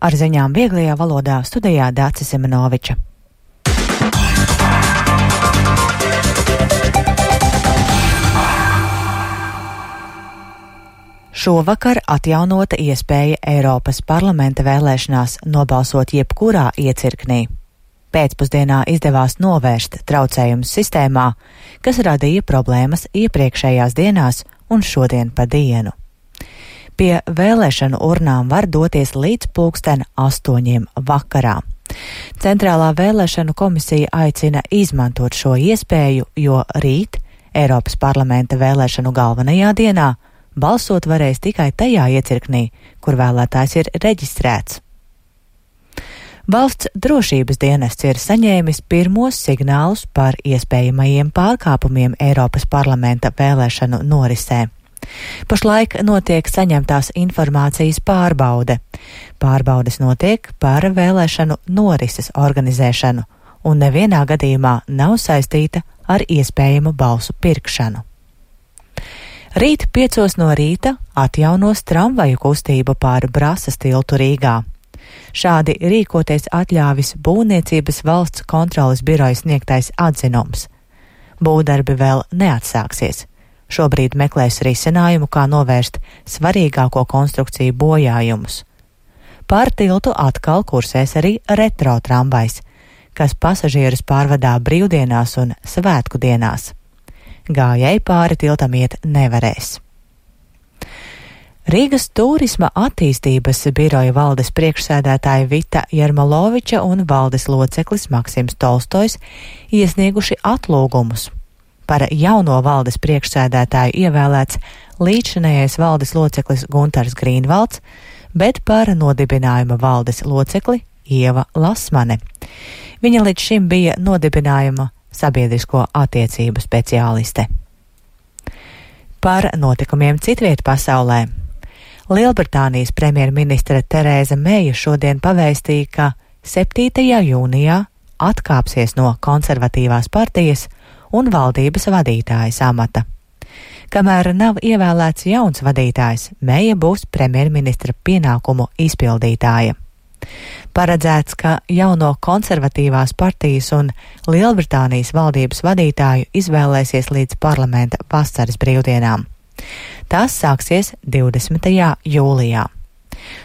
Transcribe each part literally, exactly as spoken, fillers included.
Ar ziņām vieglajā valodā studijā Dācis Semenoviča. Šovakar atjaunota iespēja Eiropas parlamenta vēlēšanās nobalsot jebkurā iecirknī. Pēcpusdienā izdevās novērst traucējumus sistēmā, kas radīja problēmas iepriekšējās dienās un šodien pa dienu. Pie vēlēšanu urnām var doties līdz pulksten astoņiem vakarā. Centrālā vēlēšanu komisija aicina izmantot šo iespēju, jo rīt, Eiropas parlamenta vēlēšanu galvenajā dienā, balsot varēs tikai tajā iecirknī, kur vēlētājs ir reģistrēts. Valsts drošības dienests ir saņēmis pirmos signālus par iespējamajiem pārkāpumiem Eiropas parlamenta vēlēšanu norisē. Pašlaik notiek saņemtās informācijas pārbaude. Pārbaudes notiek par vēlēšanu norises organizēšanu un nevienā gadījumā nav saistīta ar iespējamu balsu pirkšanu. Rīt piecos no rīta atjaunos tramvaju kustību pār Brasas tiltu Rīgā. Šādi rīkoties atļāvis Būvniecības valsts kontroles biroja sniegtais atzinums. Būvdarbi vēl neatsāksies. Šobrīd meklēs risinājumu, kā novērst svarīgāko konstrukciju bojājumus. Pār tiltu atkal kursēs arī retro tramvajs, kas pasažierus pārvadā brīvdienās un svētku dienās. Gājēji pāri tiltam iet nevarēs. Rīgas turisma attīstības biroja valdes priekšsēdētāja Vita Jermoloviča un valdes loceklis Maksims Tolstojs iesnieguši atlūgumus. Par jauno valdes priekšsēdētāju ievēlēts līdzšinējais valdes loceklis Guntars Grīnvalds, bet par nodibinājuma valdes locekli Ieva Lasmane. Viņa līdz šim bija nodibinājuma sabiedrisko attiecību speciāliste. Par notikumiem citviet pasaulē. Lielbritānijas premjerministre Terēza Meija šodien pavēstīja, ka septītajā jūnijā atkāpsies no konservatīvās partijas un valdības vadītājas amata. Kamēr nav ievēlēts jauns vadītājs, Meija būs premjerministra pienākumu izpildītāja. Paredzēts, ka jauno konservatīvās partijas un Lielbritānijas valdības vadītāju izvēlēsies līdz parlamenta vasaras brīvdienām. Tas sāksies divdesmitajā jūlijā.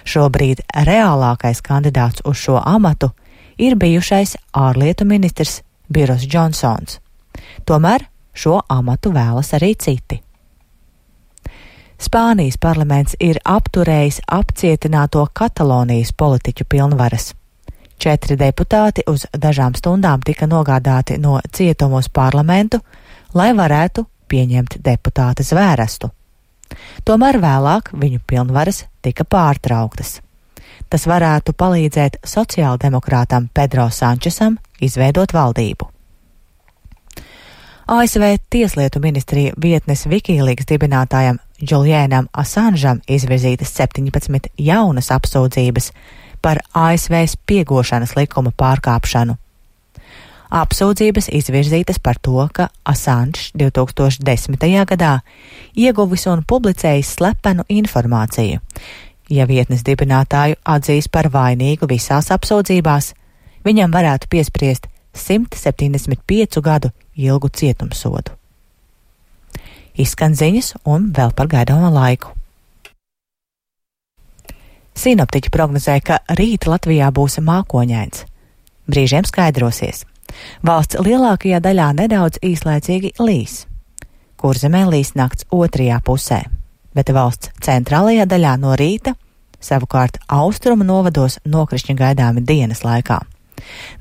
Šobrīd reālākais kandidāts uz šo amatu ir bijušais ārlietu ministrs Boris Džonsons. Tomēr šo amatu vēlas arī citi. Spānijas parlaments ir apturējis apcietināto Katalonijas politiķu pilnvaras. Četri deputāti uz dažām stundām tika nogādāti no cietuma uz parlamentu, lai varētu pieņemt deputāta zvērestu. Tomēr vēlāk viņu pilnvaras tika pārtrauktas. Tas varētu palīdzēt sociāldemokrātam Pedro Sančesam izveidot valdību. A S V Tieslietu ministrija vietnes Wikileaks dibinātājam Julianam Assangeam izvirzītas septiņpadsmit jaunas apsūdzības par A S V spiegošanas likuma pārkāpšanu. Apsūdzības izvirzītas par to, ka Assange divi tūkstoši desmitajā gadā ieguvis un publicējis slepenu informāciju. Ja vietnes dibinātāju atzīs par vainīgu visās apsūdzībās, viņam varētu piespriest simt septiņdesmit piecu gadu ilgu cietumsodu. Izskan ziņas un vēl par gaidāmo laiku. Sinoptiķi prognozē, ka rīt Latvijā būs mākoņains. Brīžiem skaidrosies. Valsts lielākajā daļā nedaudz īslaicīgi līs. Kurzemē līs nakts otrajā pusē, bet valsts centrālajā daļā no rīta, savukārt austrumu novados nokrišņi gaidāmi dienas laikā.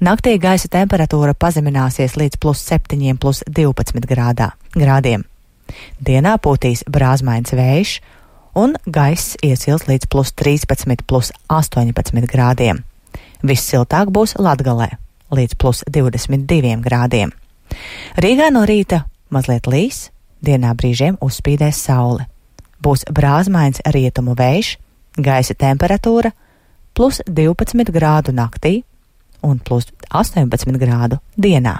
Naktī gaisa temperatūra pazemināsies līdz plus septiņiem, plus divpadsmit grādā, grādiem. Dienā pūtīs brāzmains vējš un gaiss iesils līdz plus trīspadsmit, plus astoņpadsmit grādiem. Vissiltāk būs Latgalē līdz plus divdesmit diviem grādiem. Rīgā no rīta mazliet līs, dienā brīžiem uzspīdēs saule. Būs brāzmains rietumu vējš, gaisa temperatūra plus divpadsmit grādu naktī un plus astoņpadsmit grādu dienā.